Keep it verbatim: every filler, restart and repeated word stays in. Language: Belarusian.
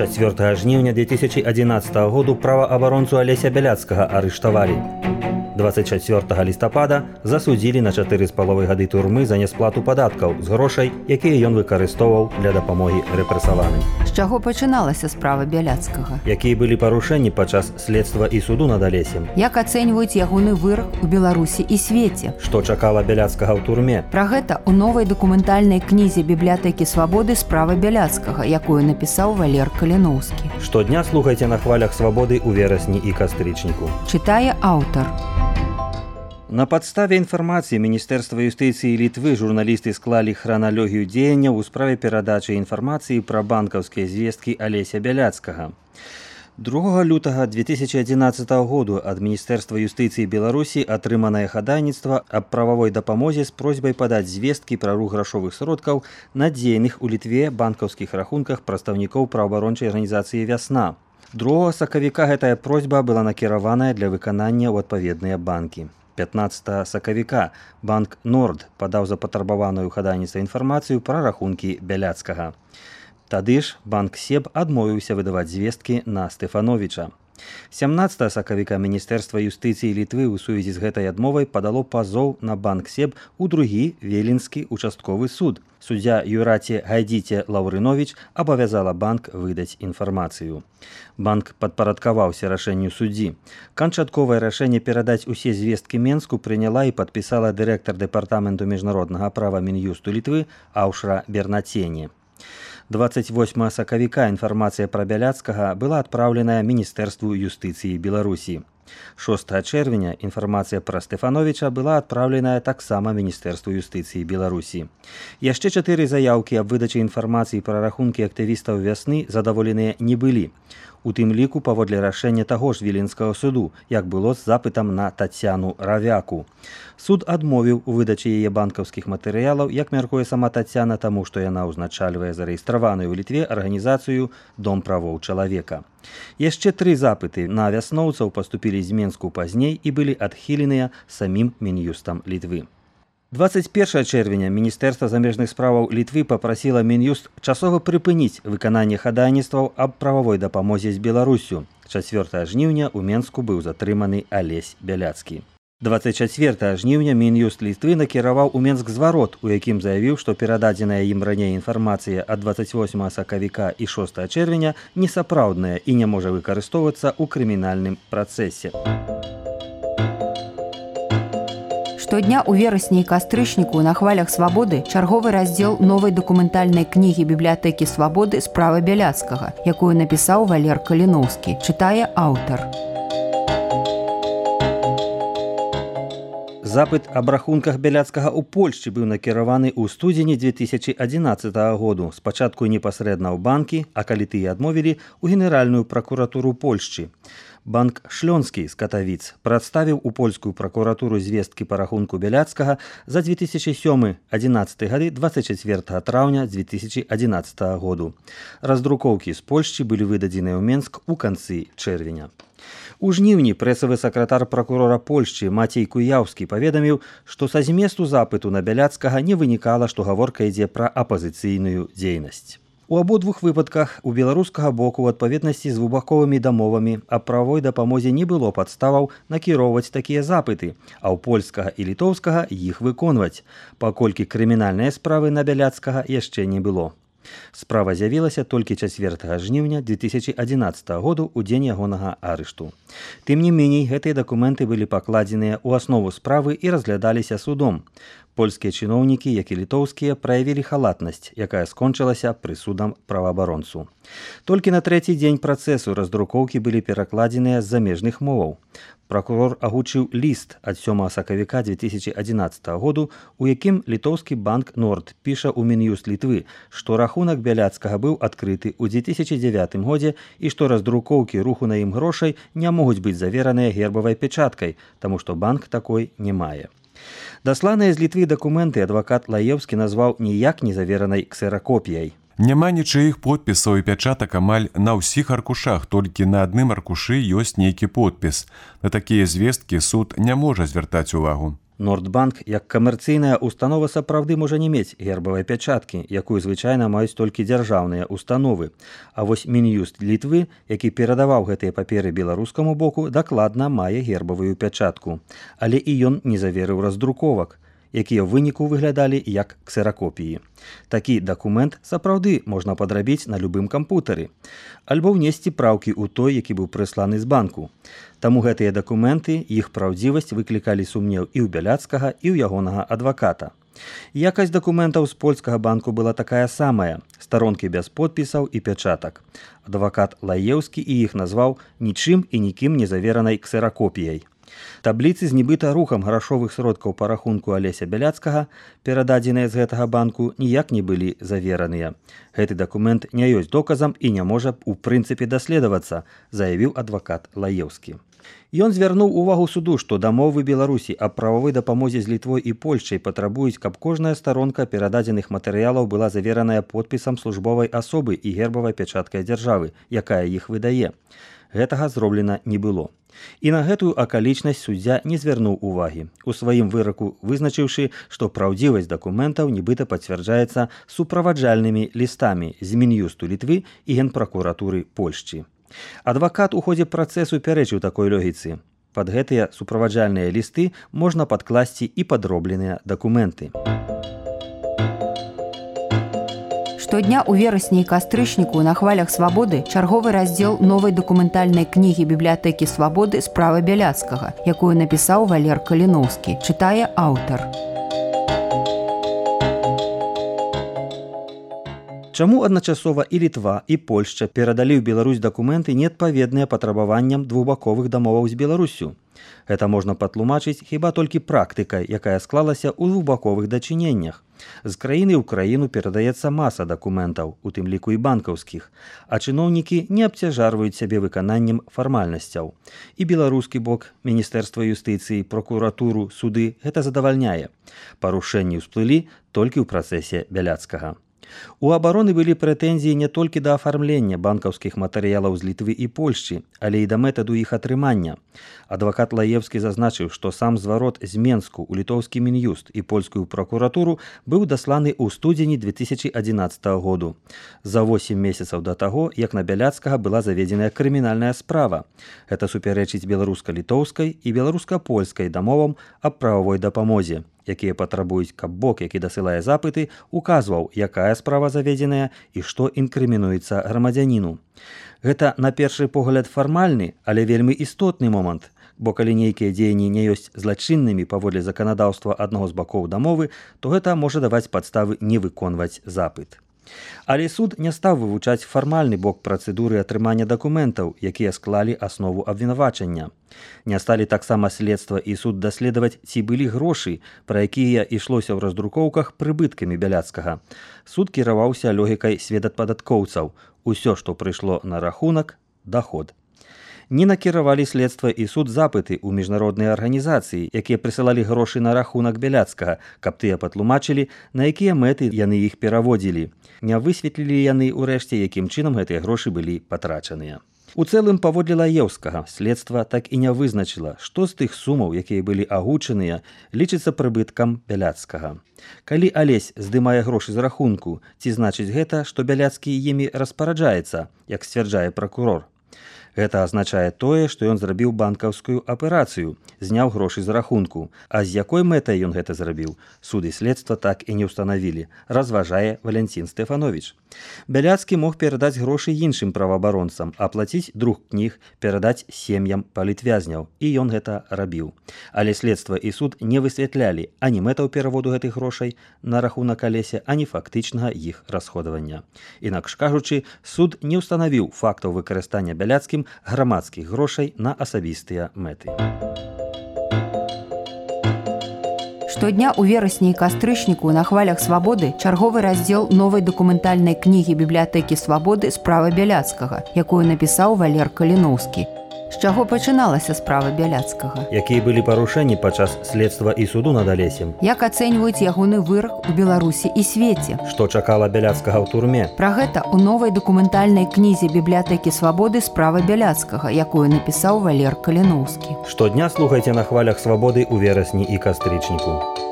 чацвёртага жніўня две тысячи одиннадцатого году праваабаронцу Алеся Бяляцкага арыштавалі. двадцать чацвёртага лістапада засудзілі на чатыры з паловай гады турмы за нясплату падаткаў з грошай, якія ён выкарыстоўваў для дапамогі рэпрэсаваным. З чаго пачыналася справа Бяляцкага? Якія былі парушэнні падчас следства і суду над Алесем? Як ацэньваюць ягоны вырак у Беларусі і свеце? Што чакала Бяляцкага ў турме? Пра гэта ў новай дакументальнай кнізе бібліятэкі свабоды справа Бяляцкага, якую напісаў Валер Каліноўскі. Штодня слухайце на хвалях свабоды ў верасні і кастрычніку. Чытае аўтар. На падставе інфармацыі Міністэрства юстыцыі Літвы журналісты склалі храналогію дзеянняў у справе перадачы інфармацыі пра банкаўскія звесткі Алеся Бяляцкага. другога лютага две тысячи одиннадцатого году ад Міністэрства юстыцыі Беларусі атрыманае хадайніцтва аб прававой дапамозе з просьбай падаць звесткі пра рух грашовых сродкаў на дзейных у Літве банкаўскіх рахунках прадстаўнікоў праваабарончай арганізацыі «Вясна». другога сакавіка гэтая просьба была накіраваная для выканання ў адпаведныя банкі. пятнадцатага сакавіка банк «Норд» падаў запатрабаваную хадайніцтва інфармацыю пра рахункі Бяляцкага. Тады ж банк «Себ» адмовіўся выдаваць звесткі на Стэфановіча. сямнадцатага сакавіка Міністэрства юстыцыі Літвы ў сувязі з гэтай адмовай падало пазоў на банк «Себ» у другі Велінскі участковы суд. Суддзя Юраце Гайдзіце Лаўрыновіч абавязала банк выдаць інфармацыю. Банк падпарадкаваўся рашэнню суддзі. Канчатковае рашэнне перадаць усе звесткі Менску прыняла і падпісала дырэктар дэпартаменту міжнароднага права Мін'юсту Літвы Аўшра Бернацені. двадцать восьмага сакавіка інфармацыя пра Бяляцкага была адпраўленая Міністэрству юстыцыі Беларусі. шостага чэрвеня інфармацыя пра Стэфановіча была адпраўленая таксама Міністэрству юстыцыі Беларусі. Яшчэ чатыры заяўкі аб выдачы інфармацыі пра рахункі актывістаў «Вясны» задаволеныя не былі. У тым ліку паводле рашэння таго ж Віленскага суду, як было з запытам на Тацяну Равяку. Суд адмовіў у выдачы яе банкаўскіх матэрыялаў, як мяркуе сама Тацяна, таму што яна ўзначальвае зарэестраваную ў Літве арганізацыю «Дом правоў чалавека». Яшчэ тры запыты на вясноўцаў паступілі з Менску пазней і былі адхіленыя самім Мін'юстам Літвы. двадцать першага чэрвеня Міністэрства замежных справаў Літвы папрасіла Мін'юст часова прыпыніць выкананне хадайніцтваў аб прававой дапамозе з Беларуссю. чацвёртага жніўня ў Менску быў затрыманы Алесь Бяляцкі. двадцать чацвёртага жніўня Мін'юст Літвы накіраваў у Менск зварот, у якім заявіў, што перададзеная ім раней інфармацыя ад двадцать восьмага сакавіка і шостага чэрвеня несапраўдная і не можа выкарыстоўвацца ў крымінальным працэсе. Штодня ў верасні і кастрычніку на хвалях свабоды чарговы раздзел новай дакументальнай кнігі бібліятэкі свабоды справа Бяляцкага, якую напісаў Валер Каліноўскі. Чытае аўтар. Запыт аб рахунках Бяляцкага ў Польшчы быў накіраваны ў студзені две тысячи одиннадцатого году. Спачатку непасрэдна ў банкі, а калі тыя адмовілі, у Генеральную пракуратуру Польшчы. Банк «Шлёнскі» з Катавіц прадставіў у польскую пракуратуру звесткі па рахунку Бяляцкага за две тысячи сёмы — адзінаццаты гады двадцать чацвёртага траўня две тысячи одиннадцатого году. Раздрукоўкі з Польшчы былі выдадзеныя ў Менск у канцы чэрвеня. У жніўні прэсавы сакратар пракурора Польшчы Мацей Куяўскі паведаміў, што са зместу запыту на Бяляцкага не вынікала, што гаворка ідзе пра апазіцыйную дзейнасць. У абодвух выпадках у беларускага боку ў адпаведнасці з двухбаковымі дамовамі аб правовой дапамозе не было падставаў накіроўваць такія запыты, а ў польскага і літоўскага іх выконваць, паколькі крымінальныя справы на Бяляцкага яшчэ не было. Справа з'явілася толькі чацвёртага жніўня две тысячи одиннадцатого году ў дзень ягонага арышту. Тым не меней, гэтыя дакументы былі пакладзеныя ў аснову справы і разглядаліся судом. Польскія чыноўнікі, як і літоўскія, праявілі халатнасць, якая скончылася прысудам праваабаронцу. Толькі на трэці дзень працэсу раздрукоўкі былі перакладзеныя з замежных моваў. Пракурор агучыў ліст ад сёмага сакавіка две тысячи одиннадцатого году, у якім літоўскі банк «Норд» піша ў Мін'юст Літвы, што рахунак Бяляцкага быў адкрыты ў две тысячи дзевятым годзе і што раздрукоўкі руху на ім грошай не могуць быць завераныя гербавай печаткай, таму што банк такой не мае. Дасланыя з Літвы дакументы адвакат Лаеўскі назваў ніяк не заверанай ксеракопіяй. Няма нічыіх подпісаў і пячатак амаль на ўсіх аркушах, толькі на адным аркушы ёсць нейкі подпіс. На такія звесткі суд не можа звяртаць увагу. Нордбанк, як камерцыйная установа, сапраўды можа не мець гербавай пячаткі, якую звычайна маюць толькі дзяржаўныя установы. А вось Мін'юст Літвы, які перадаваў гэтыя паперы беларускаму боку, дакладна мае гербавую пячатку. Але і ён не заверыў раздруковак, якія ў выніку выглядалі як ксеракопіі. Такі дакумент сапраўды можна падрабіць на любым кампутары, альбо ўнесці праўкі ў той, які быў прысланы з банку. Таму гэтыя дакументы, іх праўдзівасць выклікалі сумнеў і ў Бяляцкага, і ў ягонага адваката. Якасць дакументаў з польскага банку была такая самая, старонкі без подпісаў і пячатак. Адвакат Лаеўскі і іх назваў нічым і нікім не заверанай ксеракопіяй. Табліцы з нібыта рухам грашовых сродкаў па рахунку Алеся Бяляцкага, перададзеныя з гэтага банку, ніяк не былі завераныя. Гэты дакумент не ёсць доказам і не можа у прынцыпе даследавацца, заявіў адвакат Лаеўскі. Ён звярнуў увагу суду, што дамовы Беларусі аб прававой дапамозе з Літвой і Польшчай патрабуюць, каб кожная старонка перададзеных матэрыялаў была завераная подпісам службовай асобы і гербавай пячаткай дзяржавы, якая іх выдае. Гэтага зроблена не было. І на гэтую акалічнасць суддзя не звярнуў увагі, у сваім выраку вызначыўшы, што праўдзівасць дакументаў нібыта пацвярджаецца суправаджальнымі лістамі з Мін'юсту Літвы і Генпракуратуры Польшчы. Адвакат у ходзе працэсу пярэчыў такой логіцы. Пад гэтыя суправаджальныя лісты можна падкласці і падробленыя дакументы. Штодня ў верасні і кастрычніку на хвалях свабоды чарговы раздзел новай дакументальнай кнігі бібліятэкі свабоды «Справа Бяляцкага», якую напісаў Валер Каліноўскі, чытае аўтар. Чаму адначасова і Літва, і Польшча перадалі ў Беларусь дакументы, неадпаведныя патрабаванням двухбаковых дамоваў з Беларуссю? Гэта можна патлумачыць хіба толькі практыкай, якая склалася ў двухбаковых дачыненнях. З краіны ў краіну перадаецца маса дакументаў, у тым ліку і банкаўскіх, а чыноўнікі не абцяжарваюць сябе выкананнем фармальнасцяў. І беларускі бок, Міністэрства юстыцыі, прокуратуру, суды гэта задавальняе. Парушэнні ўсплылі толькі ў працэсе Бяляцкага. У абароны былі прэтэнзіі не толькі да афармлення банкаўскіх матэрыялаў з Літвы і Польшчы, але і да метаду іх атрымання. Адвакат Лаевскі зазначыў, што сам зварот з Менску ў літоўскі Мін'юст і польскую пракуратуру быў дасланы ў студзені две тысячы адзінаццатага году. За восем месяцаў да таго, як на Бяляцкага была заведзеная крымінальная справа. Гэта супярэчыць беларуска-літоўскай і беларуска-польскай дамовам аб прававой дапамозе, якія патрабуюць, каб бок, які дасылае запыты, указваў, якая справа заведзеная і што інкрымінуецца грамадзяніну. Гэта, на першы погляд, фармальны, але вельмі істотны момант, бо калі нейкія дзеянні не ёсць злачыннымі паводле заканадаўства аднаго з бакоў дамовы, то гэта можа даваць падставы не выконваць запыт. Але суд не стаў вывучаць фармальны бок працэдуры атрымання дакументаў, якія склалі аснову абвінавачання. Не сталі таксама следства і суд даследаваць, ці былі грошы, пра якія ішлося ў раздрукоўках, прыбыткамі Бяляцкага. Суд кіраваўся логікай сведападаткоўцаў. Усё, што прыйшло на рахунак, даход. Не накіравалі следства і суд запыты ў міжнародныя арганізацыі, якія прысылалі грошы на рахунак Бяляцкага, каб тыя патлумачылі, на якія мэты яны іх пераводзілі. Не высветлілі яны ўрэшце, якім чынам гэтыя грошы былі патрачаныя. У цэлым, паводле Лаеўскага, следства так і не вызначыла, што з тых сумаў, якія былі агучаныя, лічыцца прыбыткам Бяляцкага. Калі Алесь здымае грошы з рахунку, ці значыць гэта, што Бяляцкі імі распараджаецца, як сцвярджае пракурор? Гэта азначае тое, што ён зрабіў банкаўскую аперацыю, зняў грошы з рахунку. А з якой мэтай ён гэта зрабіў, суд і следства так і не ўстанавілі, разважае Валянцін Стэфановіч. Бяляцкі мог перадаць грошы іншым праваабаронцам, аплаціць друк кніг, перадаць сем'ям палітвязняў, і ён гэта рабіў. Але следства і суд не высвятлялі ані мэтаў пераводу гэтых грошай на рахунак Алеся, ані фактычнага іх расходавання. Інакш кажучы, суд не ўстанавіў фактаў выкарыстання Бяляцкім грамадскіх грошай на асабістыя мэты. Штодня ў верасні і кастрычніку на хвалях свабоды чарговы раздзел новай дакументальнай кнігі бібліятэкі свабоды «Справа Бяляцкага», якую напісаў Валер Каліноўскі. З чаго пачыналася справа Бяляцкага? Якія былі парушэнні падчас следства і суду над Алесем? Як ацэньваюць ягоны вырак у Беларусі і свеце? Што чакала Бяляцкага ў турме? Пра гэта ў новай дакументальнай кнізе бібліятэкі свабоды справа Бяляцкага, якую напісаў Валер Каліноўскі. Штодня слухайце на хвалях свабоды ў верасні і кастрычніку.